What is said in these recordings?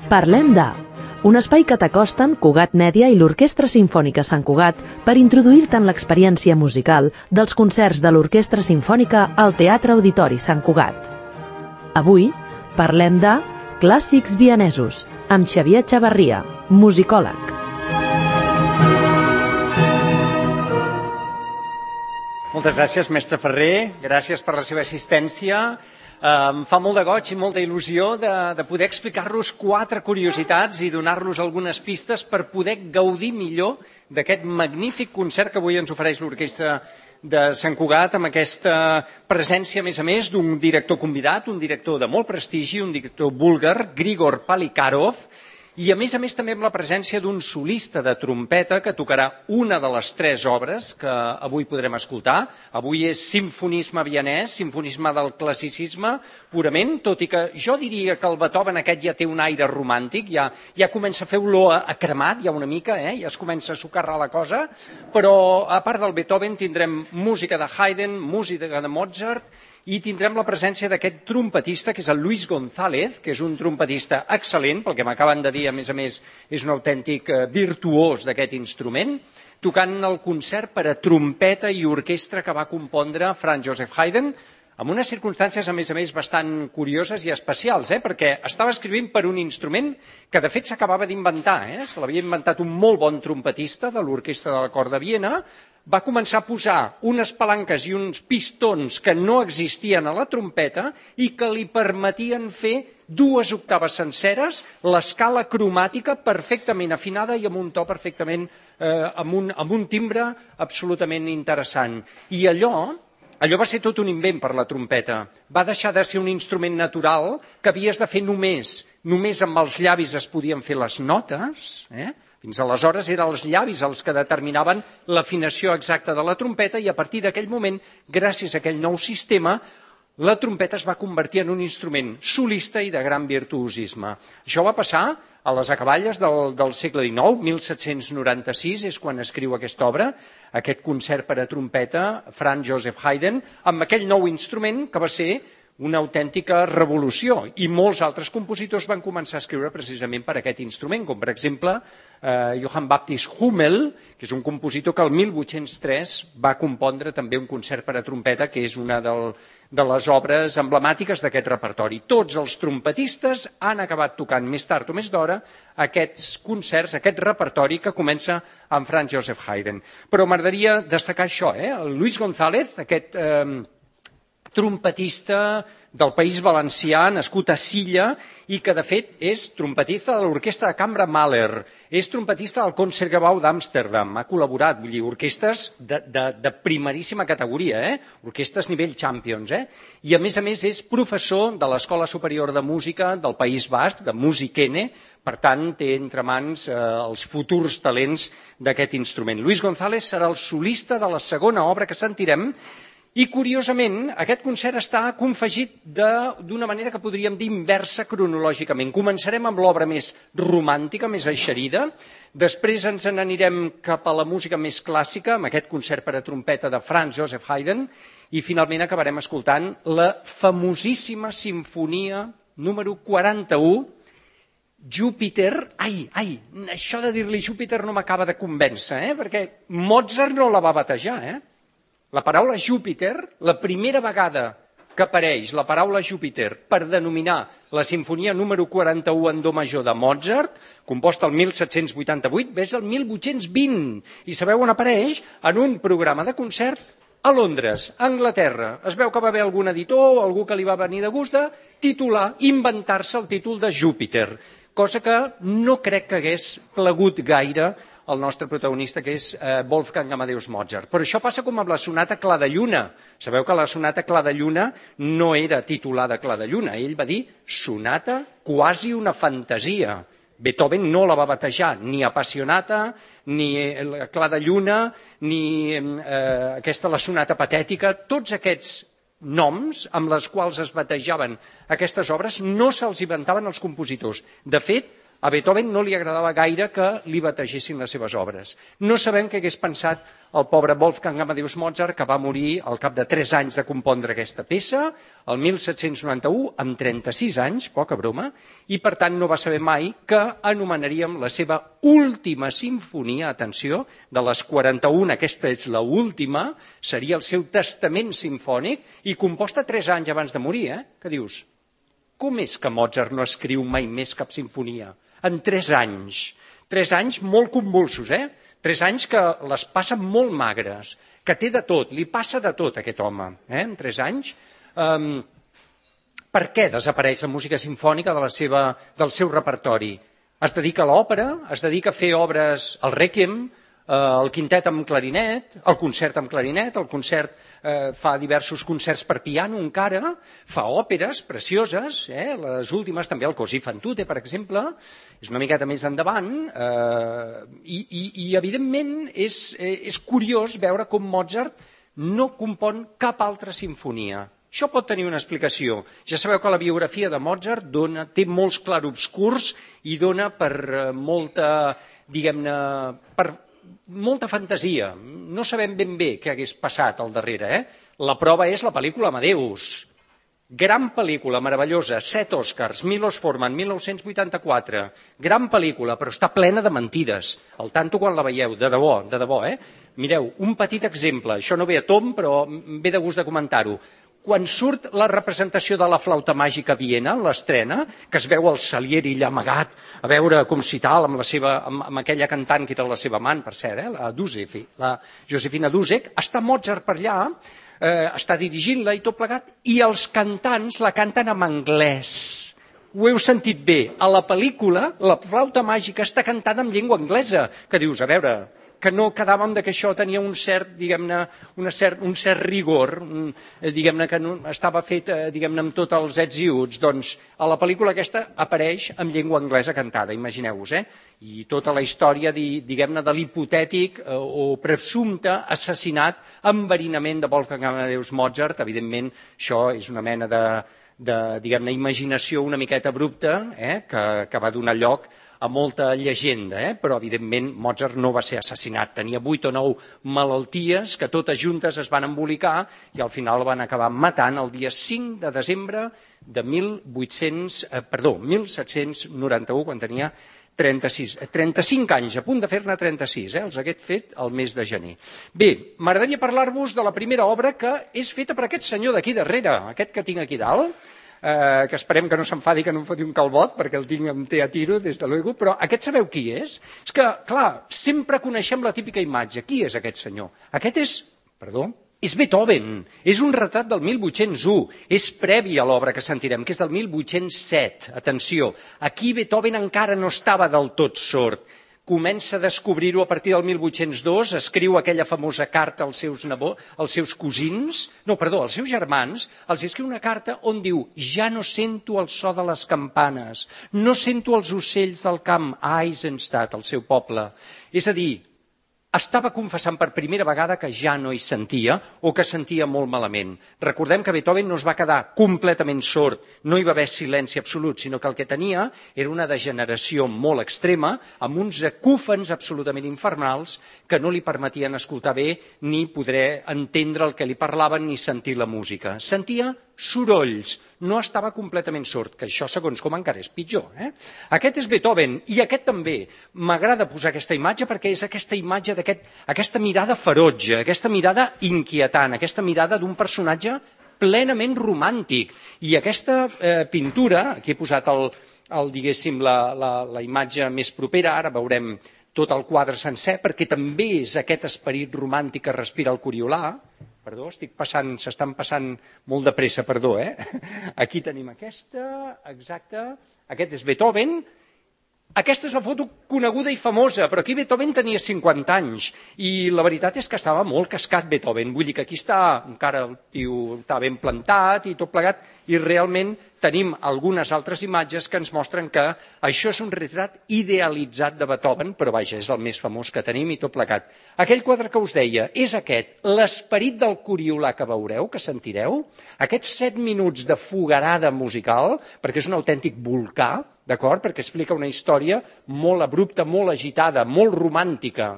Parlem de... Un espai que t'acosten Cugat Mèdia i l'Orquestra Simfònica Sant Cugat per introduir-te en l'experiència musical dels concerts de l'Orquestra Simfònica al Teatre Auditori Sant Cugat. Avui parlem de Clàssics vienesos amb Xavier Chavarria, musicòleg. Moltes gràcies, mestre Ferrer. Gràcies per la seva assistència. Em fa molt de goig i molta il·lusió de poder explicar-los 4 curiositats i donar-los algunes pistes per poder gaudir millor d'aquest magnífic concert que avui ens ofereix l'Orquestra de Sant Cugat, amb aquesta presència, a més, d'un director convidat, un director de molt prestigi, un director búlgar, Grigor Polikarov, i a més també amb la presència d'un solista de trompeta que tocarà una de les 3 obres que avui podrem escoltar. Avui és simfonisme vienès, simfonisme del classicisme purament, tot i que jo diria que el Beethoven aquest ja té un aire romàntic, ja comença a fer olor a cremat, ja una mica, ja es comença a socarrar la cosa, però a part del Beethoven tindrem música de Haydn, música de Mozart, i tindrem la presència d'aquest trompetista, que és el Luis González, que és un trompetista excel·lent, pel que m'acaben de dir, a més, és un autèntic virtuós d'aquest instrument, tocant el concert per a trompeta i orquestra que va compondre Franz Joseph Haydn, amb unes circumstàncies, a més, bastant curioses i especials, perquè estava escrivint per un instrument que, de fet, s'acabava d'inventar. Se l'havia inventat un molt bon trompetista de l'Orquestra de la Cort de Viena, va començar a posar unes palanques i uns pistons que no existien a la trompeta i que li permetien fer 2 octaves senceres, l'escala cromàtica perfectament afinada i amb un to perfectament, amb un timbre absolutament interessant. I allò va ser tot un invent per la trompeta. Va deixar de ser un instrument natural que havies de fer només amb els llavis es podien fer les notes, Fins aleshores eren els llavis els que determinaven l'afinació exacta de la trompeta i a partir d'aquell moment, gràcies a aquell nou sistema, la trompeta es va convertir en un instrument solista i de gran virtuosisme. Això va passar a les acaballes del segle XIX, 1796, és quan escriu aquesta obra, aquest concert per a trompeta, Franz Joseph Haydn, amb aquell nou instrument que va ser una autèntica revolució, i molts altres compositors van començar a escriure precisament per aquest instrument, com per exemple Johann Baptist Hummel, que és un compositor que el 1803 va compondre també un concert per a trompeta, que és una de les obres emblemàtiques d'aquest repertori. Tots els trompetistes han acabat tocant més tard o més d'hora aquests concerts, aquest repertori que comença amb Franz Joseph Haydn. Però m'agradaria destacar això, el Luis González, aquest trompetista del País Valencià, nascut a Silla, i que, de fet, és trompetista de l'Orquestra de Cambra Mahler, és trompetista del Concertgebouw d'Amsterdam, ha col·laborat, vull dir, orquestres de primeríssima categoria, orquestres nivell Champions, i a més és professor de l'Escola Superior de Música del País Basc, de Musikene, per tant, té entre mans els futurs talents d'aquest instrument. Luis González serà el solista de la segona obra que sentirem, i, curiosament, aquest concert està confegit d'una manera que podríem dir inversa cronològicament. Començarem amb l'obra més romàntica, més eixerida, després ens n'anirem cap a la música més clàssica, amb aquest concert per a trompeta de Franz Joseph Haydn, i finalment acabarem escoltant la famosíssima sinfonia número 41, Júpiter. Això de dir-li Júpiter no m'acaba de convèncer, perquè Mozart no la va batejar, La paraula Júpiter, la primera vegada que apareix la paraula Júpiter per denominar la sinfonia número 41 en do major de Mozart, composta el 1788, és el 1820. I sabeu on apareix? En un programa de concert a Londres, a Anglaterra. Es veu que va haver algun editor o algú que li va venir de gust de titular, inventar-se el títol de Júpiter, cosa que no crec que hagués plagut gaire el nostre protagonista, que és Wolfgang Amadeus Mozart. Però això passa com amb la sonata Clar de Lluna. Sabeu que la sonata Clar de Lluna no era titulada Clar de Lluna. Ell va dir sonata quasi una fantasia. Beethoven no la va batejar ni Appassionata, ni Clar de Lluna, ni la sonata patètica. Tots aquests noms amb les quals es batejaven aquestes obres no se'ls inventaven els compositors. De fet, A Beethoven no li agradava gaire que li bategessin les seves obres. No sabem què hagués pensat el pobre Wolfgang Amadeus Mozart, que va morir al cap de 3 anys de compondre aquesta peça, el 1791, amb 36 anys, poca broma, i per tant no va saber mai que anomenaríem la seva última sinfonia, atenció, de les 41, aquesta és la última, seria el seu testament simfònic, i composta 3 anys abans de morir, Què dius? Com és que Mozart no escriu mai més cap sinfonia? En 3 anys. 3 anys molt convulsos, 3 anys que les passen molt magres, que té de tot, li passa de tot a aquest home, en 3 anys. Per què desapareix la música simfònica del seu repertori? Es dedica a l'òpera, es dedica a fer obres, el Rèquiem, el quintet amb clarinet, el concert amb clarinet, el concert fa diversos concerts per piano encara, fa òperes precioses, les últimes també el Così fan tutte, per exemple, és una miqueta més endavant, i evidentment és curiós veure com Mozart no compon cap altra sinfonia. Això pot tenir una explicació. Ja sabeu que la biografia de Mozart té molts clarobscurs i dona per molta, diguem-ne, per molta fantasia. No sabem ben bé què hagués passat al darrere. La prova és la pel·lícula Amadeus. Gran pel·lícula, meravellosa, 7 Oscars, Milos Forman, 1984. Gran pel·lícula, però està plena de mentides. Al tanto quan la veieu, de debò, Mireu, un petit exemple, això no ve a tom, però ve de gust de comentar-ho. Quan surt la representació de la flauta màgica a Viena, l'estrena, que es veu el Salieri allà amagat, a veure com si tal, amb aquella cantant que era la seva amant, per cert, la Dusek, la Josefina Dusek, està Mozart per allà, està dirigint-la i tot plegat, i els cantants la canten en anglès. Ho heu sentit bé. A la pel·lícula, la flauta màgica està cantada en llengua anglesa, que dius, a veure, que no quedàvem que això tenia un cert, diguem-ne, un cert rigor, diguem-ne, que estava fet, diguem-ne, amb tots els ets i uts. Doncs a la pel·lícula aquesta apareix en llengua anglesa cantada, imagineu-vos, I tota la història, diguem-ne, de l'hipotètic o presumpte assassinat, enverinament de Wolfgang Amadeus Mozart. Evidentment, això és una mena de diguem-ne, imaginació una miqueta abrupta, que va donar lloc a molta llegenda, però evidentment Mozart no va ser assassinat. Tenia 8 o 9 malalties que totes juntes es van embolicar i al final el van acabar matant el dia 5 de desembre de 1791, quan tenia 35 anys, a punt de fer-ne 36, els hagués fet el mes de gener. Bé, m'agradaria parlar-vos de la primera obra que és feta per aquest senyor d'aquí darrere, aquest que tinc aquí dalt, que esperem que no s'enfadi, que no em foti un calbot, perquè el tinc amb té a tiro, des de luego, però aquest sabeu qui és? És que, clar, sempre coneixem la típica imatge. Qui és aquest senyor? Aquest és Beethoven. És un retrat del 1801. És previ a l'obra que sentirem, que és del 1807. Atenció, aquí Beethoven encara no estava del tot sord. Comença a descobrir-ho a partir del 1802, escriu aquella famosa carta als seus germans, els escriu una carta on diu: ja no sento el so de les campanes, no sento els ocells del camp a Eisenstadt, el seu poble. És a dir, estava confessant per primera vegada que ja no hi sentia o que sentia molt malament. Recordem que Beethoven no es va quedar completament sord, no hi va haver silenci absolut, sinó que el que tenia era una degeneració molt extrema, amb uns acúfens absolutament infernals que no li permetien escoltar bé ni poder entendre el que li parlaven ni sentir la música. Sentia sorolls, no estava completament sord, que això segons com encara és pitjor. Aquest és Beethoven, i aquest també. M'agrada posar aquesta imatge perquè és aquesta imatge aquesta mirada ferotge, aquesta mirada inquietant, aquesta mirada d'un personatge plenament romàntic. I aquesta pintura, aquí he posat diguéssim, la imatge més propera, ara veurem tot el quadre sencer, perquè també és aquest esperit romàntic que respira el Coriolà. Perdó, s'estan passant molt de pressa, perdó. Aquí tenim aquesta, exacte, aquest és Beethoven. Aquesta és la foto coneguda i famosa, però aquí Beethoven tenia 50 anys i la veritat és que estava molt cascat Beethoven. Vull dir que aquí està, encara el tio està ben plantat i tot plegat, i realment tenim algunes altres imatges que ens mostren que això és un retrat idealitzat de Beethoven, però vaja, és el més famós que tenim i tot plegat. Aquell quadre que us deia és aquest, l'esperit del Coriolà que veureu, que sentireu, aquests 7 minuts de fogarada musical, perquè és un autèntic volcà, d'acord? Perquè explica una història molt abrupta, molt agitada, molt romàntica,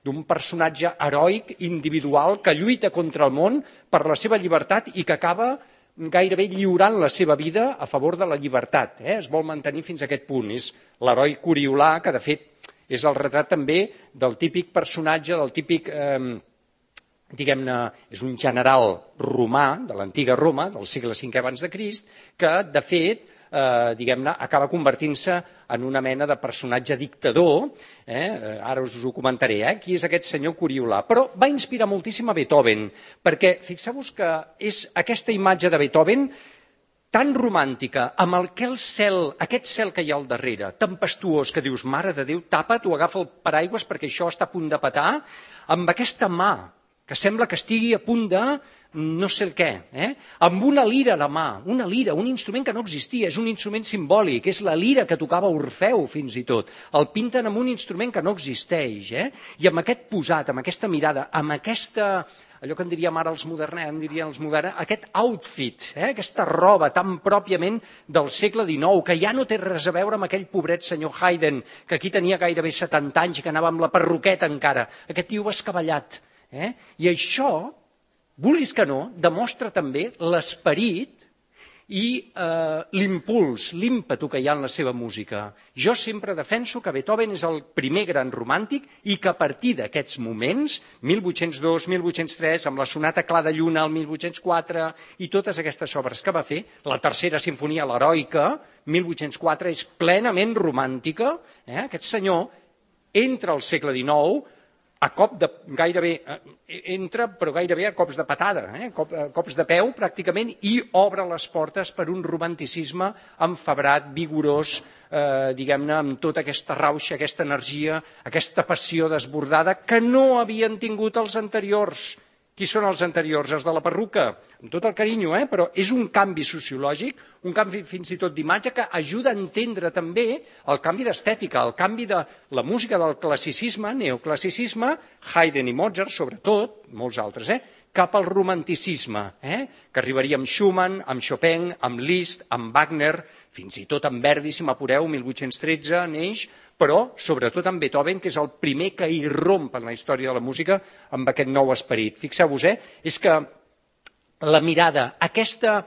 d'un personatge heroic, individual, que lluita contra el món per la seva llibertat i que acaba gairebé lliurant la seva vida a favor de la llibertat. Es vol mantenir fins a aquest punt. És l'heroi Coriolà, que de fet és el retrat també del típic personatge, del típic, diguem-ne, és un general romà, de l'antiga Roma, del segle V abans de Crist, que de fet diguem-ne, acaba convertint-se en una mena de personatge dictador, ara us ho comentaré, qui és aquest senyor Coriolà. Però va inspirar moltíssim a Beethoven, perquè fixeu-vos que és aquesta imatge de Beethoven tan romàntica, amb aquest cel que hi ha al darrere, tempestuós, que dius, mare de Déu, tapa't o agafa el paraigües perquè això està a punt de petar, amb aquesta mà, que sembla que estigui a punt de no sé el què, amb una lira a la mà, una lira, un instrument que no existia, és un instrument simbòlic, és la lira que tocava Orfeu fins i tot, el pinten amb un instrument que no existeix, i amb aquest posat, amb aquesta mirada, amb aquesta, allò que en diríem ara els moderns, aquest outfit, aquesta roba tan pròpiament del segle XIX, que ja no té res a veure amb aquell pobret senyor Haydn, que aquí tenia gairebé 70 anys i que anava amb la perruqueta encara, aquest tio escavallat, i això, vulguis que no, demostra també l'esperit i l'impuls, l'ímpetu que hi ha en la seva música. Jo sempre defenso que Beethoven és el primer gran romàntic i que a partir d'aquests moments, 1802, 1803, amb la sonata Clar de Lluna, el 1804 i totes aquestes obres que va fer, la tercera sinfonia, l'Heroica, 1804, és plenament romàntica. Aquest senyor entra al segle XIX a cop de gairebé, entra però gairebé a cops de patada, cops de peu pràcticament, i obre les portes per un romanticisme enfebrat, vigorós, diguem-ne, amb tota aquesta rauxa, aquesta energia, aquesta passió desbordada que no havien tingut els anteriors. Qui són els anteriors? Els de la perruca, amb tot el carinyo, però és un canvi sociològic, un canvi fins i tot d'imatge que ajuda a entendre també el canvi d'estètica, el canvi de la música del classicisme, neoclassicisme, Haydn i Mozart sobretot, molts altres, cap al romanticisme, que arribaria amb Schumann, amb Chopin, amb Liszt, amb Wagner, fins i tot amb Verdi, si m'apureu, 1813 neix, però sobretot amb Beethoven, que és el primer que irromp en la història de la música amb aquest nou esperit. Fixeu-vos, és que la mirada, aquesta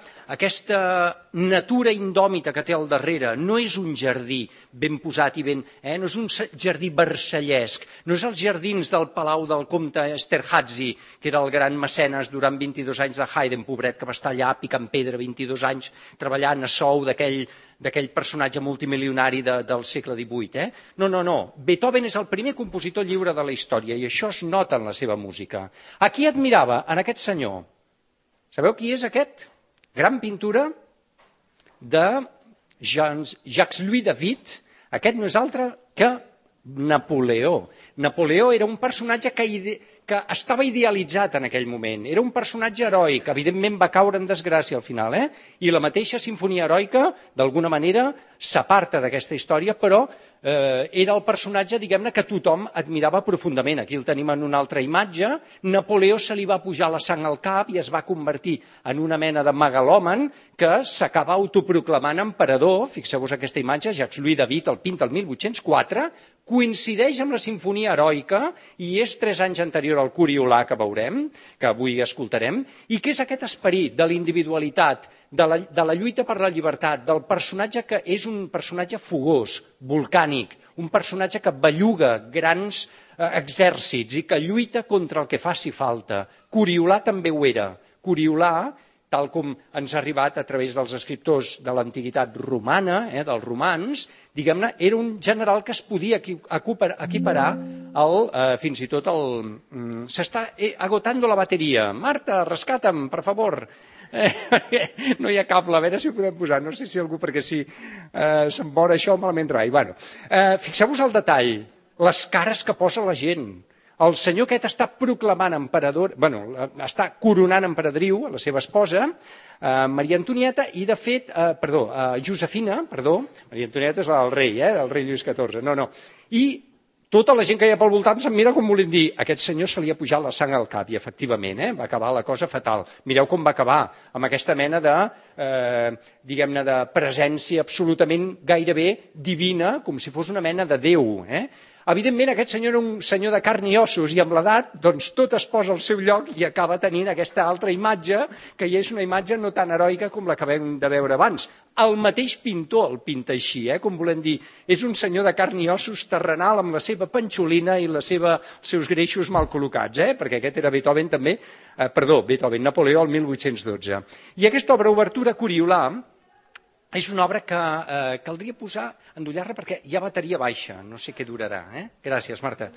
natura indòmita que té al darrere, no és un jardí ben posat i ben... no és un jardí versallesc, no és els jardins del palau del comte Esterházy, que era el gran mecenes durant 22 anys de Haydn, pobret, que va estar allà picant pedra 22 anys, treballant a sou d'aquell personatge multimilionari del segle XVIII. No. Beethoven és el primer compositor lliure de la història i això es nota en la seva música. A qui admirava? En aquest senyor. Sabeu qui és aquest? Gran pintura de Jacques-Louis David. Aquest no és altre que Napoleó. Napoleó era un personatge que estava idealitzat en aquell moment. Era un personatge heroic, evidentment va caure en desgràcia al final, i la mateixa sinfonia heroica, d'alguna manera, s'aparta d'aquesta història, però era el personatge, diguem-ne, que tothom admirava profundament. Aquí el tenim en una altra imatge. Napoleó se li va pujar la sang al cap i es va convertir en una mena de megalòman que s'acaba autoproclamant emperador. Fixeu-vos aquesta imatge, Jacques-Louis David el pinta el 1804, coincideix amb la sinfonia heroica i és 3 anys anterior al Coriolà, que veurem, que avui escoltarem, i que és aquest esperit de la individualitat, de la lluita per la llibertat, del personatge que és un personatge fogós, volcànic, un personatge que belluga grans exèrcits i que lluita contra el que faci falta. Coriolà també ho era. Coriolà, tal com ens ha arribat a través dels escriptors de l'antiguitat romana, dels romans, diguem-ne, era un general que es podia equiparar fins i tot el... S'està agotando la bateria. Marta, rescata'm, per favor. No hi ha cable, a veure si ho podem posar. No sé si algú, perquè si se'n vora això malament rai. Fixeu-vos el detall, les cares que posa la gent. El senyor aquest està proclamant emperador, està coronant emperadriu a la seva esposa, Maria Antonieta, i de fet, Josefina, Maria Antonieta és la del rei, del rei Lluís XIV, I Tota la gent que hi ha pel voltant se'm mira com volent dir aquest senyor se li ha pujat la sang al cap, i efectivament, va acabar la cosa fatal. Mireu com va acabar, amb aquesta mena de, diguem-ne, de presència absolutament gairebé divina, com si fos una mena de Déu. Evidentment, aquest senyor era un senyor de carn i ossos, i amb l'edat, doncs, tot es posa al seu lloc i acaba tenint aquesta altra imatge, que ja és una imatge no tan heroica com la que vam de veure abans. El mateix pintor el pinta així, com volem dir, és un senyor de carn i ossos terrenal amb la seva panxolina i els seus greixos mal col·locats, perquè aquest era Beethoven també, Napoleó el 1812. I aquesta obra obertura Coriolà és una obra que caldria posar, endollar-la, perquè hi ha bateria baixa, no sé què durarà. Gràcies, Marta.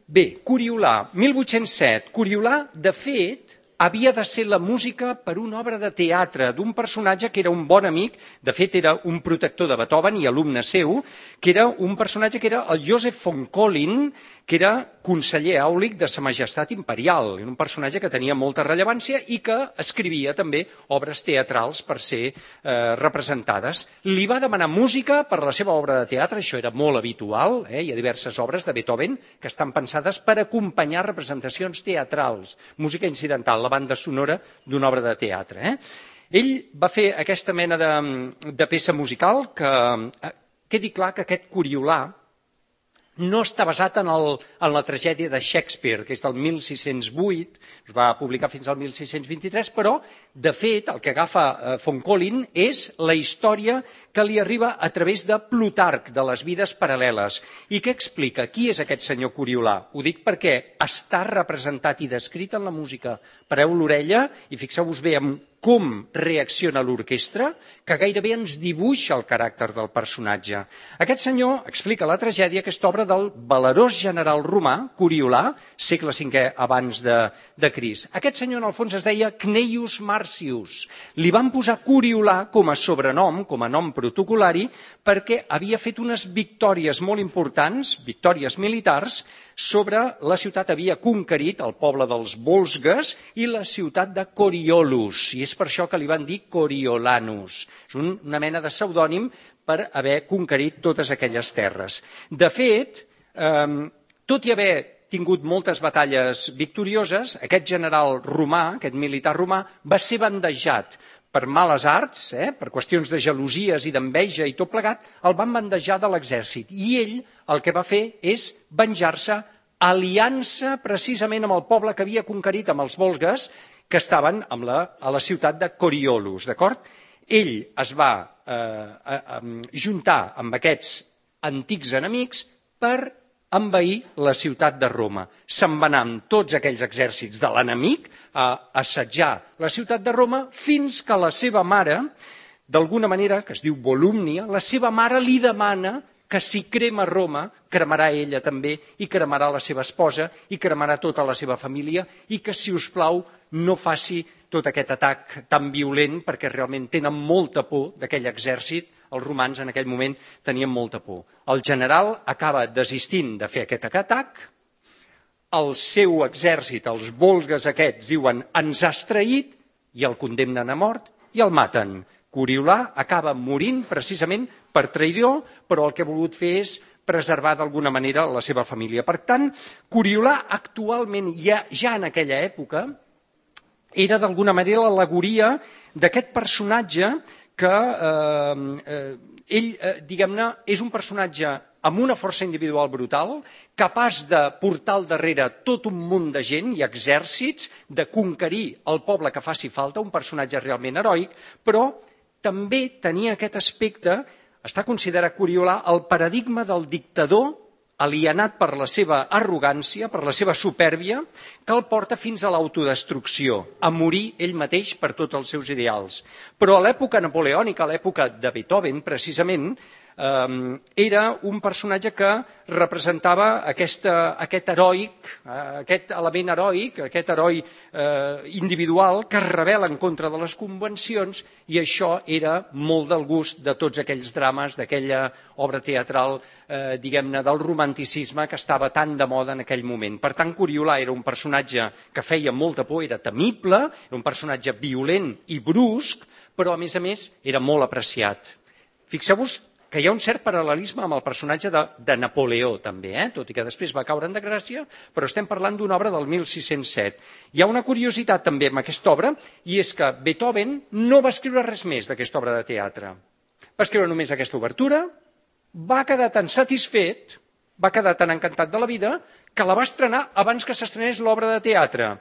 Bé, Coriolà, 1807. Coriolà, de fet, havia de ser la música per una obra de teatre d'un personatge que era un bon amic, de fet era un protector de Beethoven i alumne seu, que era un personatge que era el Joseph von Collin, que era conseller àulic de Sa Majestat Imperial, un personatge que tenia molta rellevància i que escrivia també obres teatrals per ser representades. Li va demanar música per a la seva obra de teatre, això era molt habitual, hi ha diverses obres de Beethoven que estan pensades per acompanyar representacions teatrals, música incidental, la banda sonora d'una obra de teatre. Ell va fer aquesta mena de peça musical que quedi clar que aquest Coriolà no està basat en la tragèdia de Shakespeare, que és del 1608, es va publicar fins al 1623, però, de fet, el que agafa von Collin és la història que li arriba a través de Plutarc, de les vides paral·leles. I què explica? Qui és aquest senyor Coriolà? Ho dic perquè està representat i descrit en la música. Pareu l'orella i fixeu-vos bé en com reacciona l'orquestra, que gairebé ens dibuixa el caràcter del personatge. Aquest senyor explica la tragèdia, aquesta obra del valerós general romà, Coriolà, segle V abans de Crist. Aquest senyor, en el fons, es deia Cneius Marcius. Li van posar Coriolà com a sobrenom, com a nom protocolari, perquè havia fet unes victòries molt importants, victòries militars, sobre la ciutat, havia conquerit el poble dels Volsgues i la ciutat de Coriolus, i és per això que li van dir Coriolanus. És una mena de pseudònim per haver conquerit totes aquelles terres. De fet, tot i haver tingut moltes batalles victorioses, aquest general romà, aquest militar romà, va ser bandejat per males arts, per qüestions de gelosies i d'enveja i tot plegat, el van bandejar de l'exèrcit. I ell el que va fer és venjar-se aliant-se precisament amb el poble que havia conquerit, amb els volgues, que estaven a la ciutat de Coriolus, d'acord? Ell es va juntar amb aquests antics enemics per envair la ciutat de Roma. Se'n va anar amb tots aquells exèrcits de l'enemic a assetjar la ciutat de Roma fins que la seva mare, d'alguna manera, que es diu Volúmnia, la seva mare li demana que si crema Roma, cremarà ella també, i cremarà la seva esposa, i cremarà tota la seva família, i que, si us plau, no faci tot aquest atac tan violent, perquè realment tenen molta por d'aquell exèrcit. Els romans en aquell moment tenien molta por. El general acaba desistint de fer aquest atac, el seu exèrcit, els volgues aquests, diuen ens has traït, i el condemnen a mort i el maten. Coriolà acaba morint precisament per traïdor, però el que ha volgut fer és preservar d'alguna manera la seva família. Per tant, Coriolà actualment, ja en aquella època, era d'alguna manera l'al·legoria d'aquest personatge que ell, diguem-ne, és un personatge amb una força individual brutal, capaç de portar al darrere tot un munt de gent i exèrcits, de conquerir el poble que faci falta, un personatge realment heroic, però també tenia aquest aspecte, està considerat Coriolà el paradigma del dictador alienat per la seva arrogància, per la seva supèrbia, que el porta fins a l'autodestrucció, a morir ell mateix per tots els seus ideals. Però a l'època napoleònica, a l'època de Beethoven, precisament, era un personatge que representava aquest heroic, aquest element heroic, aquest heroi individual que es rebel·la en contra de les convencions, i això era molt del gust de tots aquells drames, d'aquella obra teatral, diguem-ne, del romanticisme que estava tan de moda en aquell moment. Per tant, Coriolà era un personatge que feia molta por, era temible, era un personatge violent i brusc, però a més era molt apreciat. Fixeu-vos que hi ha un cert paral·lelisme amb el personatge de Napoleó, també, tot i que després va caure en desgràcia, però estem parlant d'una obra del 1607. Hi ha una curiositat també amb aquesta obra, i és que Beethoven no va escriure res més d'aquesta obra de teatre. Va escriure només aquesta obertura, va quedar tan satisfet, va quedar tan encantat de la vida, que la va estrenar abans que s'estrenés l'obra de teatre.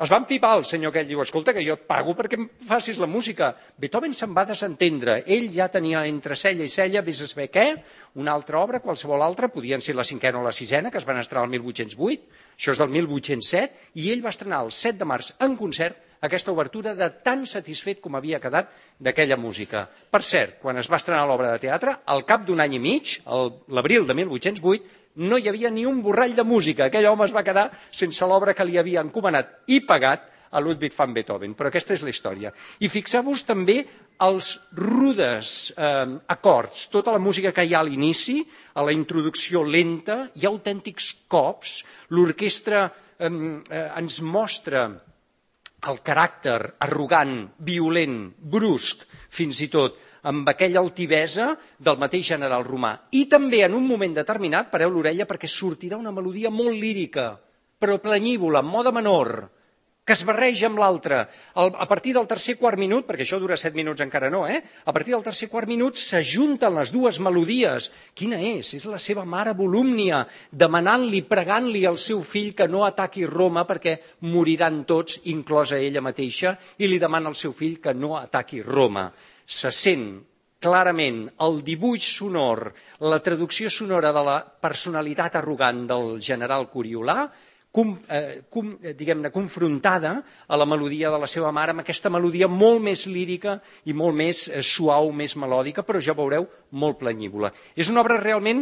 Es va empipar el senyor aquell, diu, escolta, que jo et pago perquè em facis la música. Beethoven se'n va desentendre. Ell ja tenia entre cella i cella, vés a saber què, una altra obra, qualsevol altra, podien ser la cinquena o la sisena, que es van estrenar el 1808, això és del 1807, i ell va estrenar el 7 de març en concert aquesta obertura de tan satisfet com havia quedat d'aquella música. Per cert, quan es va estrenar l'obra de teatre, al cap d'un any i mig, l'abril de 1808, no hi havia ni un borrall de música. Aquell home es va quedar sense l'obra que li havia encomanat i pagat a Ludwig van Beethoven. Però aquesta és la història. I fixeu-vos també els rudes acords, tota la música que hi ha a l'inici, a la introducció lenta, hi ha autèntics cops, l'orquestra ens mostra el caràcter arrogant, violent, brusc, fins i tot, amb aquella altivesa del mateix general romà. I també en un moment determinat, pareu l'orella, perquè sortirà una melodia molt lírica, però planyívola, en mode menor, que es barreja amb l'altra. A partir del tercer quart minut, perquè això dura 7 minuts encara no, a partir del tercer quart minut s'ajunten les dues melodies. Quina és? És la seva mare Volúmnia, demanant-li, pregant-li al seu fill que no ataqui Roma perquè moriran tots, inclosa ella mateixa, i li demana al seu fill que no ataqui Roma. Se sent clarament el dibuix sonor, la traducció sonora de la personalitat arrogant del general Coriolà, diguem-ne, confrontada a la melodia de la seva mare, amb aquesta melodia molt més lírica i molt més suau, més melòdica, però ja veureu, molt planyívola. És una obra realment,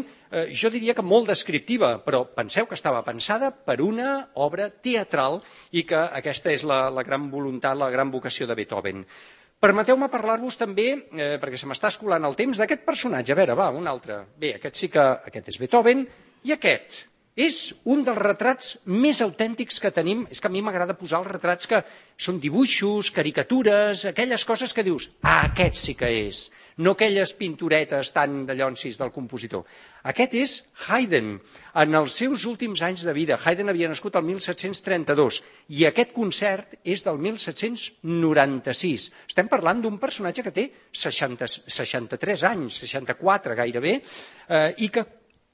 jo diria que molt descriptiva, però penseu que estava pensada per una obra teatral i que aquesta és la gran voluntat, la gran vocació de Beethoven. Permeteu-me parlar-vos també, perquè se m'està escolant el temps, d'aquest personatge. A veure, va, un altre. Bé, aquest és Beethoven, i aquest és un dels retrats més autèntics que tenim. És que a mi m'agrada posar els retrats que són dibuixos, caricatures, aquelles coses que dius, aquest sí que és, no aquelles pinturetes tan de llonsis del compositor. Aquest és Haydn, en els seus últims anys de vida. Haydn havia nascut el 1732 i aquest concert és del 1796. Estem parlant d'un personatge que té 63 anys, 64 gairebé, i que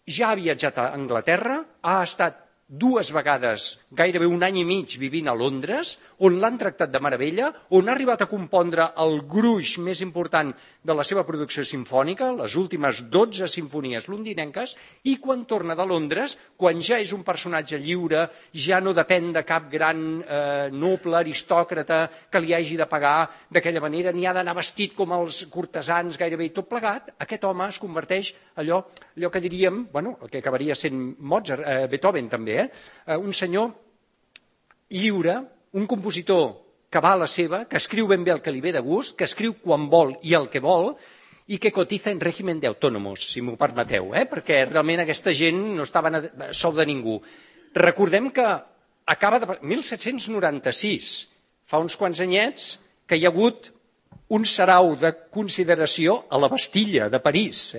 ja ha viatjat a Anglaterra, ha estat 2 vegades, gairebé un any i mig vivint a Londres, on l'han tractat de meravella, on ha arribat a compondre el gruix més important de la seva producció simfònica, les últimes 12 simfonies londinenques, i quan torna de Londres, quan ja és un personatge lliure, ja no depèn de cap gran noble, aristòcrata, que li hagi de pagar d'aquella manera, ni ha d'anar vestit com els cortesans, gairebé tot plegat, aquest home es converteix allò que diríem, bueno, el que acabaria sent Beethoven també, un senyor lliure, un compositor que va a la seva, que escriu ben bé el que li ve de gust, que escriu quan vol i el que vol, i que cotiza en règim d'autònomos, si m'ho permeteu, perquè realment aquesta gent no estava a sou de ningú. Recordem que acaba de... 1796, fa uns quants anyets, que hi ha hagut un sarau de consideració a la Bastilla de París,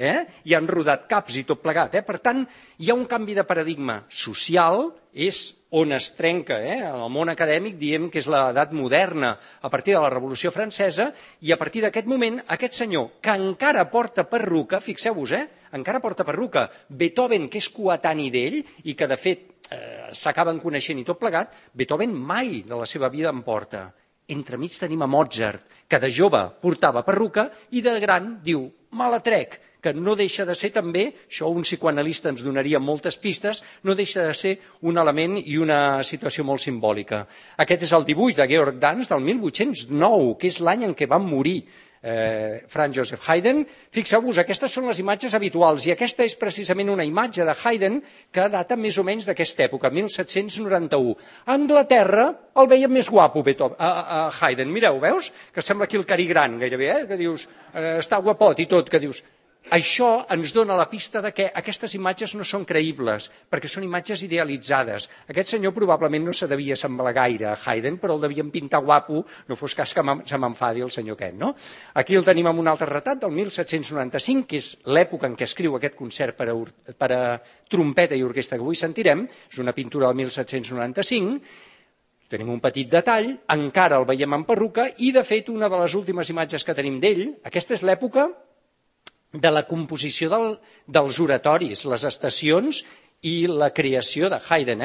i han rodat caps i tot plegat. Per tant, hi ha un canvi de paradigma social, és on es trenca, en el món acadèmic diem que és l'edat moderna a partir de la Revolució Francesa, i a partir d'aquest moment aquest senyor que encara porta perruca, fixeu-vos, encara porta perruca, Beethoven, que és coetani d'ell i que de fet s'acaben coneixent i tot plegat, Beethoven mai de la seva vida en porta. Entremig tenim a Mozart, que de jove portava perruca i de gran diu, me la trec, que no deixa de ser també, això un psicoanalista ens donaria moltes pistes, no deixa de ser un element i una situació molt simbòlica. Aquest és el dibuix de Georg Danz del 1809, que és l'any en què va morir Franz Joseph Haydn. Fixeu-vos, aquestes són les imatges habituals i aquesta és precisament una imatge de Haydn que data més o menys d'aquesta època, 1791. A Anglaterra el veiem més guapo a Haydn. Mireu, veus? Que sembla aquí el Cary Grant gairebé, que dius, està guapot i tot, que dius, Això ens dona la pista de que aquestes imatges no són creïbles, perquè són imatges idealitzades. Aquest senyor probablement no se devia semblar gaire a Haydn, però el devien pintar guapo, no fos cas que se m'enfadi el senyor aquest, no? Aquí el tenim amb un altre retrat del 1795, que és l'època en què escriu aquest concert per a trompeta i orquestra que avui sentirem, és una pintura del 1795, tenim un petit detall, encara el veiem en perruca, i de fet una de les últimes imatges que tenim d'ell, aquesta és l'època de la composició dels oratoris, les estacions i la creació de Haydn,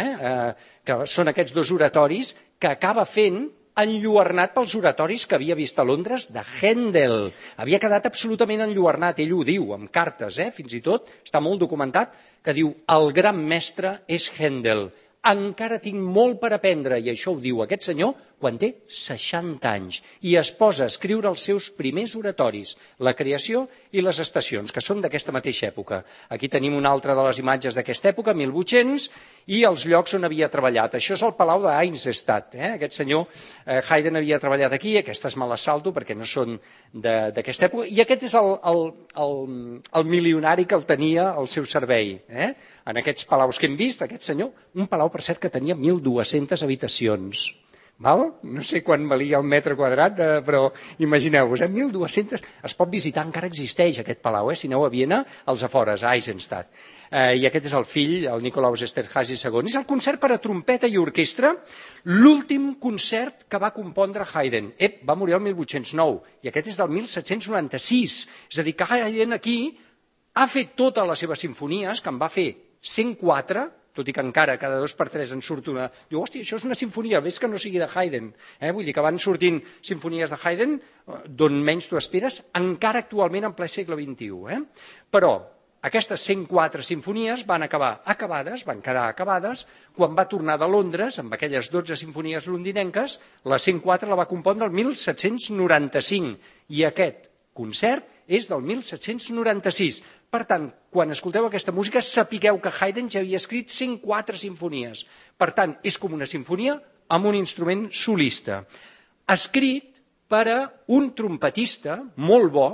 que són aquests dos oratoris que acaba fent enlluernat pels oratoris que havia vist a Londres de Händel. Havia quedat absolutament enlluernat, ell ho diu, amb cartes, fins i tot, està molt documentat, que diu, el gran mestre és Händel. Encara tinc molt per aprendre, i això ho diu aquest senyor quan té 60 anys, i es posa a escriure els seus primers oratoris, la creació i les estacions, que són d'aquesta mateixa època. Aquí tenim una altra de les imatges d'aquesta època, 1800, i els llocs on havia treballat. Això és el Palau d'Eisenstadt. Aquest senyor Haydn havia treballat aquí, aquestes me les salto perquè no són d'aquesta època, i aquest és el milionari que el tenia al seu servei. En aquests palaus que hem vist, aquest senyor, un palau, per cert, que tenia 1.200 habitacions. No sé quan valia el metre quadrat, però imagineu-vos, 1.200... Es pot visitar, encara existeix aquest palau, si aneu a Viena, als afores, a Eisenstadt. I aquest és el fill, el Nikolaus Esterházy II. És el concert per a trompeta i orquestra, l'últim concert que va compondre Haydn. Va morir el 1809, i aquest és del 1796. És a dir, que Haydn aquí ha fet totes les seves simfonies, que en va fer 104, tot i que encara cada 2 per 3 en surt una... Diu, hòstia, això és una sinfonia, ves que no sigui de Haydn. Vull dir que van sortint sinfonies de Haydn d'on menys tu esperes, encara actualment en ple segle XXI. Però aquestes 104 sinfonies van acabar acabades, van quedar acabades, quan va tornar de Londres, amb aquelles 12 sinfonies londinenques, la 104 la va compondre el 1795, i aquest concert és del 1796. Per tant, quan escolteu aquesta música, sapigueu que Haydn ja havia escrit 104 sinfonies. Per tant, és com una sinfonia amb un instrument solista. Escrit per a un trompetista molt bo,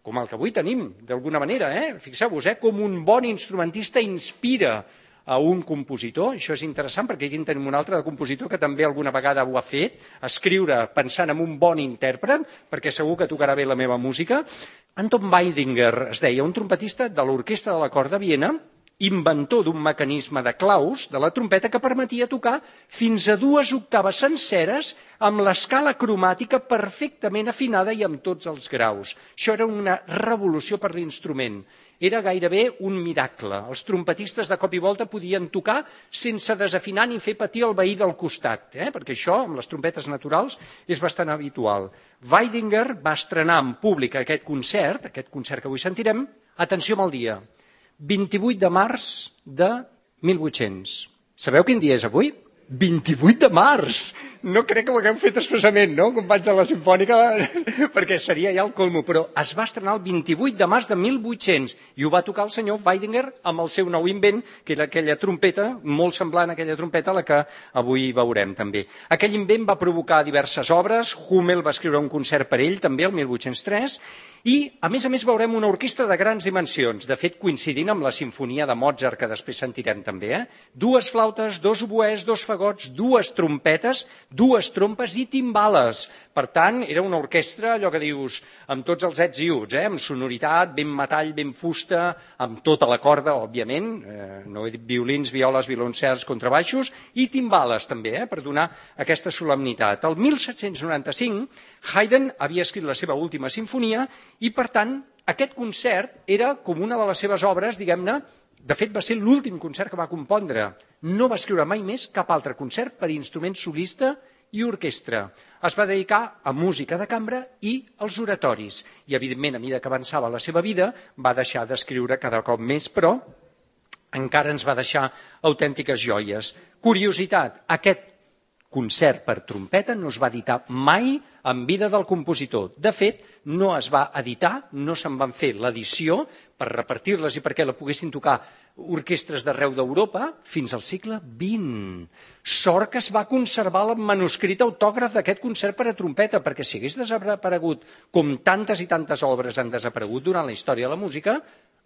com el que avui tenim, d'alguna manera. Fixeu-vos, com un bon instrumentista inspira a un compositor. Això és interessant perquè aquí en tenim un altre de compositor que també alguna vegada ho ha fet, escriure pensant en un bon intèrpret, perquè segur que tocarà bé la meva música. Anton Weidinger es deia, un trompetista de l'Orquestra de la Cort de Viena, inventor d'un mecanisme de claus de la trompeta que permetia tocar fins a 2 octaves senceres amb l'escala cromàtica perfectament afinada i amb tots els graus. Això era una revolució per l'instrument. Era gairebé un miracle. Els trompetistes de cop i volta podien tocar sense desafinar ni fer patir el veí del costat, perquè això, amb les trompetes naturals, és bastant habitual. Weidinger va estrenar en públic aquest concert que avui sentirem, atenció amb el dia, 28 de març de 1800. Sabeu quin dia és avui? 28 de març! No crec que ho hagueu fet expressament, no, companys de la Simfònica? Perquè seria ja el colmo, però es va estrenar el 28 de març de 1800 i ho va tocar el senyor Weidinger amb el seu nou invent, que era aquella trompeta, molt semblant a aquella trompeta a la que avui veurem també. Aquell invent va provocar diverses obres, Hummel va escriure un concert per ell també el 1803, i a més veurem una orquestra de grans dimensions, de fet coincidint amb la sinfonia de Mozart, que després sentirem també. 2 flautes, 2 oboès, 2 fagots, 2 trompetes, 2 trompes i timbales. Per tant, era una orquestra, allò que dius, amb tots els ets i uts, amb sonoritat, ben metall, ben fusta, amb tota la corda, òbviament, no he dit violins, violes, violoncels, contrabaixos, i timbales també, per donar aquesta solemnitat. El 1795, Haydn havia escrit la seva última sinfonia i, per tant, aquest concert era com una de les seves obres, diguem-ne, de fet va ser l'últim concert que va compondre. No va escriure mai més cap altre concert per instrument solista i orquestra. Es va dedicar a música de cambra i als oratoris. I, evidentment, a mesura que avançava la seva vida, va deixar d'escriure cada cop més, però encara ens va deixar autèntiques joies. Curiositat, aquest concert per trompeta no es va editar mai en vida del compositor. De fet, no es va editar, no se'n van fer l'edició per repartir-les i perquè la poguessin tocar orquestres d'arreu d'Europa fins al segle XX. Sort que es va conservar el manuscrit autògraf d'aquest concert per a trompeta, perquè si hagués desaparegut, com tantes i tantes obres han desaparegut durant la història de la música,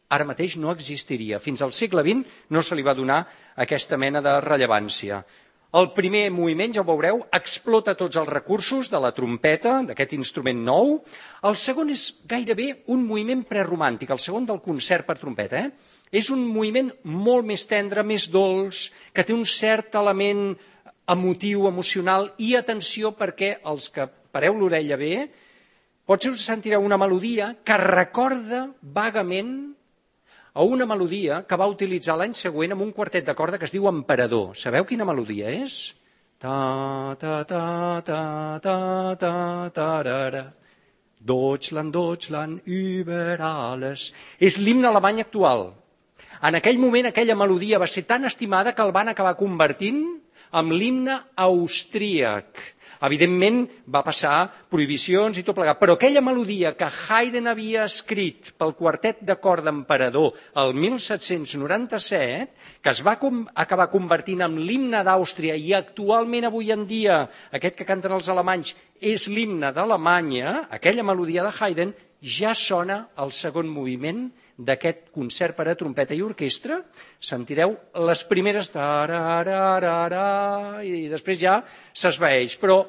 ara mateix no existiria. Fins al segle XX no se li va donar aquesta mena de rellevància. El primer moviment, ja ho veureu, explota tots els recursos de la trompeta, d'aquest instrument nou. El segon és gairebé un moviment preromàntic, el segon del concert per trompeta. És un moviment molt més tendre, més dolç, que té un cert element emotiu, emocional, i atenció perquè els que pareu l'orella bé, potser us sentireu una melodia que recorda vagament a una melodia que va utilitzar l'any següent amb un quartet de corda que es diu Emperador. Sabeu quina melodia és? Ta, ta, ta, ta, ta, ta, tarara. Deutschland, Deutschland, über alles. És l'himne alemany actual. En aquell moment, aquella melodia va ser tan estimada que el van acabar convertint en l'himne austríac. Evidentment, va passar prohibicions i tot plegat, però aquella melodia que Haydn havia escrit pel quartet de corda Emperador el 1797, que es va acabar convertint en l'himne d'Àustria i actualment, avui en dia, aquest que canten els alemanys és l'himne d'Alemanya, aquella melodia de Haydn ja sona al segon moviment d'aquest concert per a trompeta i orquestra. Sentireu les primeres i després ja s'esvaeix, però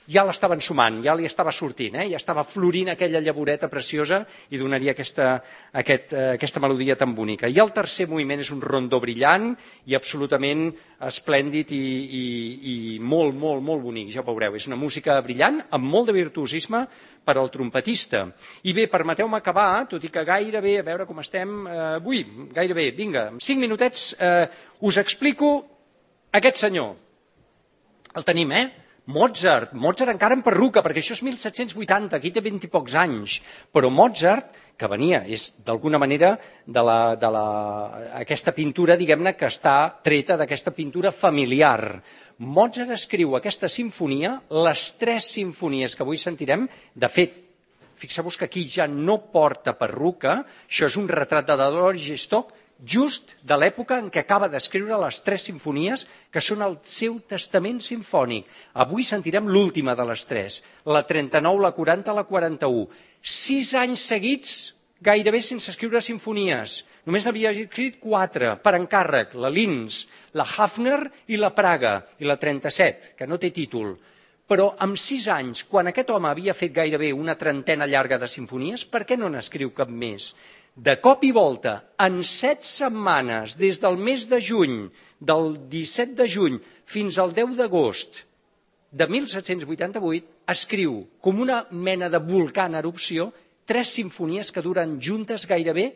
ja l'estaven sumant, ja li estava sortint, ja estava florint aquella llavoreta preciosa i donaria aquesta melodia tan bonica. I el tercer moviment és un rondó brillant i absolutament esplèndid i molt, molt, molt bonic, ja ho veureu. És una música brillant amb molt de virtuosisme per al trompetista. I bé, permeteu-me acabar, tot i que gairebé, a veure com estem avui, gairebé, vinga, en 5 minutets us explico aquest senyor. El tenim, Mozart encara en perruca, perquè això és 1780, aquí té 20 i pocs anys, però Mozart, que venia, és d'alguna manera aquesta pintura, diguem-ne, que està treta d'aquesta pintura familiar. Mozart escriu aquesta sinfonia, les 3 simfonies que avui sentirem, de fet, fixeu-vos que aquí ja no porta perruca, això és un retrat de Dolores Stock, just de l'època en què acaba d'escriure les 3 simfonies que són el seu testament simfònic. Avui sentirem l'última de les 3, la 39, la 40, la 41. 6 anys seguits gairebé sense escriure simfonies. Només n'havia escrit 4 per encàrrec, la Linz, la Hafner i la Praga, i la 37, que no té títol. Però amb 6 anys, quan aquest home havia fet gairebé una trentena llarga de simfonies, per què no n'escriu cap més? De cop i volta, en 7 setmanes, des del mes de juny, del 17 de juny fins al 10 d'agost de 1788, escriu, com una mena de volcà en erupció, 3 simfonies que duren juntes gairebé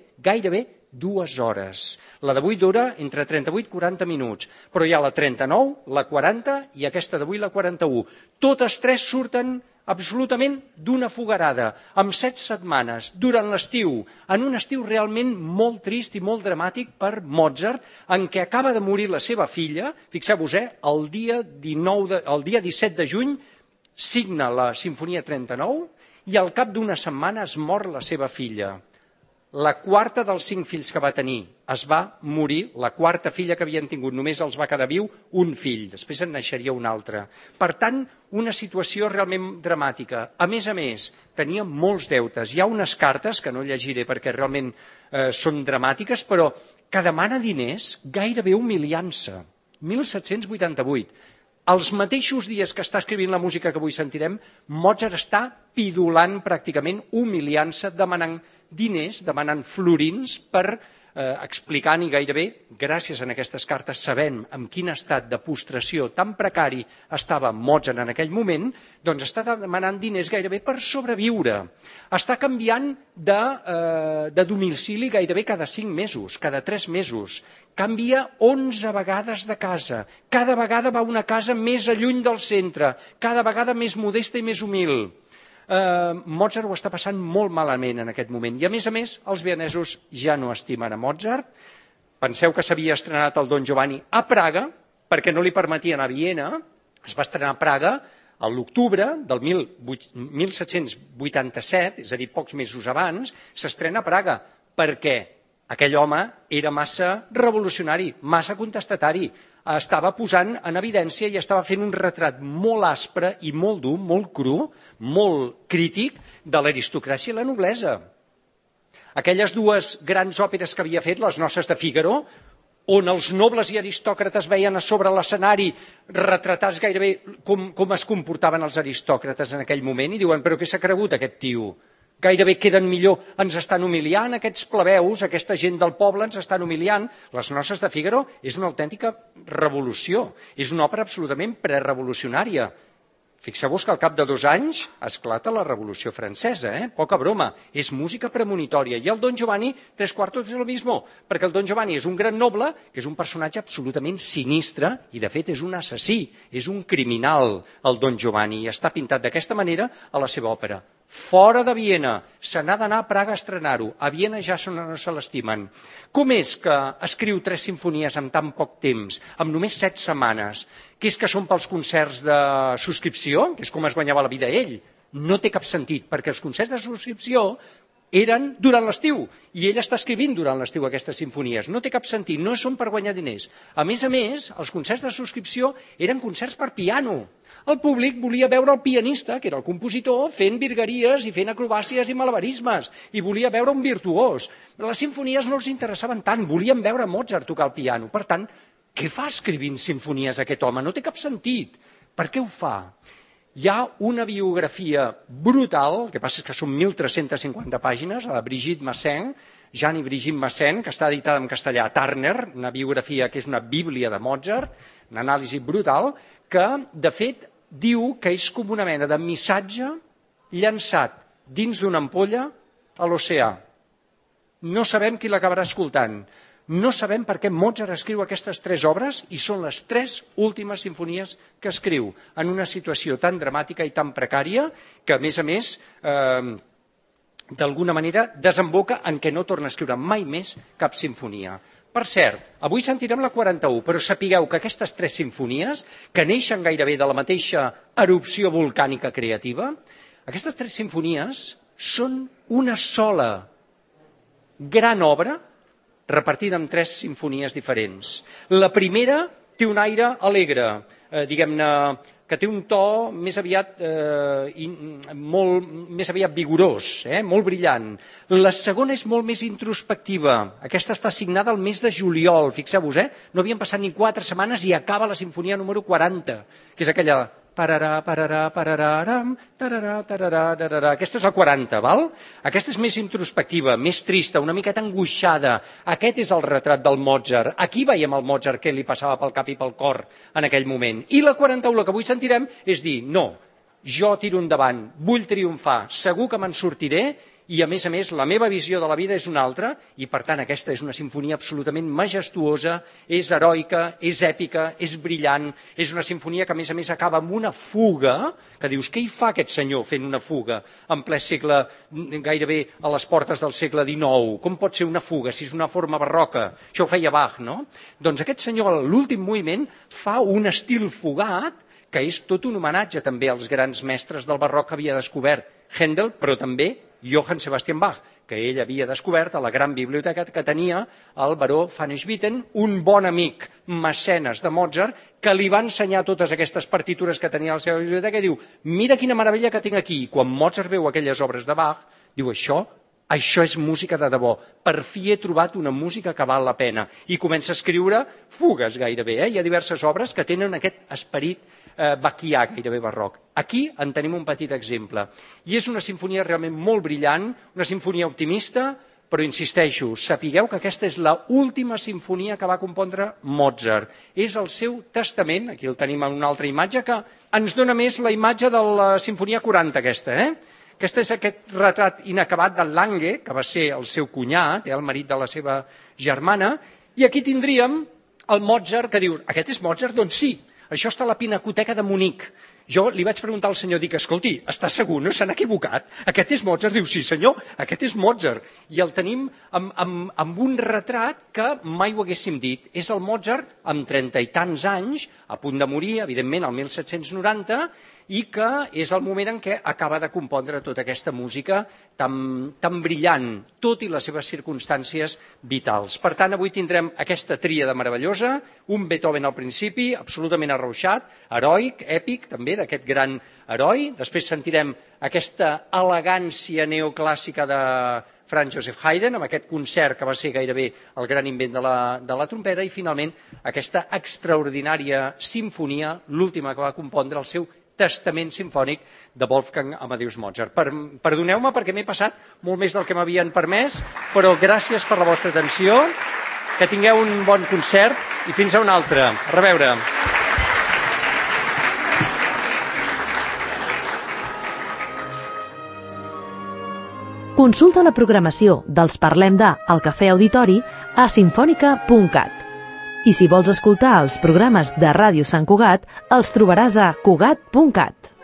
2 hores. La d'avui dura entre 38 i 40 minuts, però hi ha la 39, la 40 i aquesta d'avui, la 41. Totes 3 surten absolutament d'una fogarada, amb 7 setmanes, durant l'estiu, en un estiu realment molt trist i molt dramàtic per Mozart, en què acaba de morir la seva filla, fixeu-vos, el dia 17 de juny signa la Simfonia 39 i al cap d'una setmana es mor la seva filla. La quarta dels 5 fills que va tenir es va morir, la quarta filla que havien tingut, només els va quedar viu un fill, després en naixeria un altre. Per tant, una situació realment dramàtica. A més, tenia molts deutes. Hi ha unes cartes, que no llegiré perquè realment són dramàtiques, però que demana diners gairebé humiliant-se. 1788. Els mateixos dies que està escrivint la música que avui sentirem, Mozart està pidolant pràcticament, humiliant-se, demanant diners, demanant florins per explicant i gairebé, gràcies a aquestes cartes, sabent en quin estat de postració tan precari estava Mozart en aquell moment, doncs està demanant diners gairebé per sobreviure. Està canviant de domicili gairebé cada 5 mesos, cada 3 mesos. Canvia 11 vegades de casa. Cada vegada va a una casa més lluny del centre, cada vegada més modesta i més humil. Mozart ho està passant molt malament en aquest moment. I a més, els vienesos ja no estimen a Mozart. Penseu que s'havia estrenat el Don Giovanni a Praga, perquè no li permetien a Viena, Es va estrenar a Praga a l'octubre del 1787, és a dir, pocs mesos abans, s'estrena a Praga. Per què? Aquell home era massa revolucionari, massa contestatari, estava posant en evidència i estava fent un retrat molt aspre i molt dur, molt cru, molt crític de l'aristocràcia i la noblesa. Aquelles dues grans òperes que havia fet, Les noces de Fígaro, on els nobles i aristòcrates veien a sobre l'escenari retratats gairebé com es comportaven els aristòcrates en aquell moment i diuen, però què s'ha cregut aquest tio? Gairebé queden millor, ens estan humiliant, aquests plebeus, aquesta gent del poble ens estan humiliant. Les noces de Fígaro és una autèntica revolució, és una òpera absolutament prerevolucionària. Fixeu-vos que al cap de 2 anys esclata la Revolució Francesa, poca broma, és música premonitòria. I el Don Giovanni, 3/4 és el mismo, perquè el Don Giovanni és un gran noble, que és un personatge absolutament sinistre, i de fet és un assassí, és un criminal, el Don Giovanni, i està pintat d'aquesta manera a la seva òpera. Fora de Viena, se n'ha d'anar a Praga a estrenar-ho, a Viena ja no se l'estimen. Com és que escriu 3 simfonies en tan poc temps, amb només 7 setmanes? Que és que són pels concerts de subscripció, que és com es guanyava la vida ell? No té cap sentit, perquè els concerts de subscripció eren durant l'estiu, i ell està escrivint durant l'estiu aquestes simfonies. No té cap sentit, no són per guanyar diners. A més, els concerts de subscripció eren concerts per piano. El públic volia veure el pianista, que era el compositor, fent virgueries i fent acrobàcies i malabarismes, i volia veure un virtuós. Les simfonies no els interessaven tant, volien veure Mozart tocar el piano. Per tant, què fa escrivint simfonies aquest home? No té cap sentit. Per què ho fa? Hi ha una biografia brutal, el que passa és que són 1.350 pàgines, la de Brigitte Massin, Jean i Brigitte Massin, que està editada en castellà a Turner, una biografia que és una bíblia de Mozart, una anàlisi brutal, que, de fet, diu que és com una mena de missatge llançat dins d'una ampolla a l'oceà. No sabem qui l'acabarà escoltant. No sabem per què Mozart escriu aquestes 3 obres i són les 3 últimes simfonies que escriu en una situació tan dramàtica i tan precària que, a més, d'alguna manera desemboca en què no torna a escriure mai més cap simfonia. Per cert, avui sentirem la 41, però sapigueu que aquestes 3 simfonies, que neixen gairebé de la mateixa erupció volcànica creativa, aquestes 3 simfonies són una sola gran obra repartida en 3 simfonies diferents. La primera té un aire alegre, diguem-ne, que té un to més aviat vigorós, molt brillant. La segona és molt més introspectiva. Aquesta està signada al mes de juliol, fixeu-vos, no havien passat ni 4 setmanes i acaba la sinfonia número 40, que és aquella pararà, pararà, parararam, tararà, tararà, tararà. Aquesta és la 40, val? Aquesta és més introspectiva, més trista, una miqueta angoixada. Aquest és el retrat del Mozart. Aquí veiem el Mozart que li passava pel cap i pel cor en aquell moment. I la 41, la que avui sentirem, és dir, no, jo tiro endavant, vull triomfar, segur que me'n sortiré, i a més, la meva visió de la vida és una altra, i per tant aquesta és una sinfonia absolutament majestuosa, és heroica, és èpica, és brillant, és una sinfonia que a més acaba amb una fuga, que dius, què hi fa aquest senyor fent una fuga en ple segle, gairebé a les portes del segle XIX? Com pot ser una fuga si és una forma barroca? Això ho feia Bach, no? Doncs aquest senyor, a l'últim moviment, fa un estil fugat, que és tot un homenatge també als grans mestres del barroc que havia descobert Händel, però també Johann Sebastian Bach, que ell havia descobert a la gran biblioteca que tenia el baró van Swieten, un bon amic mecenes de Mozart, que li va ensenyar totes aquestes partitures que tenia a la seva biblioteca i diu, mira quina meravella que tinc aquí. I quan Mozart veu aquelles obres de Bach, diu, això és música de debò. Per fi he trobat una música que val la pena. I comença a escriure fugues gairebé. Hi ha diverses obres que tenen aquest esperit baquià, gairebé barroc. Aquí en tenim un petit exemple. I és una sinfonia realment molt brillant, una sinfonia optimista, però insisteixo, sapigueu que aquesta és l'última sinfonia que va compondre Mozart. És el seu testament, aquí el tenim en una altra imatge, que ens dona més la imatge de la sinfonia 40 aquesta, Aquest és aquest retrat inacabat del Lange, que va ser el seu cunyat, el marit de la seva germana, i aquí tindríem el Mozart que diu, aquest és Mozart? Doncs sí, això està a la Pinacoteca de Munic. Jo li vaig preguntar al senyor, dic, escolti, està segur, no s'han equivocat? Aquest és Mozart? Diu, sí senyor, aquest és Mozart. I el tenim amb un retrat que mai ho haguéssim dit. És el Mozart amb 30 i tants anys, a punt de morir, evidentment, el 1790, i que és el moment en què acaba de compondre tota aquesta música tan brillant, tot i les seves circumstàncies vitals. Per tant, avui tindrem aquesta tríada meravellosa, un Beethoven al principi, absolutament arrauxat, heroic, èpic, també, d'aquest gran heroi. Després sentirem aquesta elegància neoclàssica de Franz Joseph Haydn, amb aquest concert que va ser gairebé el gran invent de la trompeta, i finalment aquesta extraordinària sinfonia, l'última que va compondre, el seu Testament Simfònic de Wolfgang Amadeus Mozart. Perdoneu-me perquè m'he passat molt més del que m'havien permès, però gràcies per la vostra atenció, que tingueu un bon concert i fins a un altre. A reveure. Consulta la programació dels Parlem de al Cafè Auditori a sinfònica.cat. I si vols escoltar els programes de Ràdio Sant Cugat, els trobaràs a cugat.cat.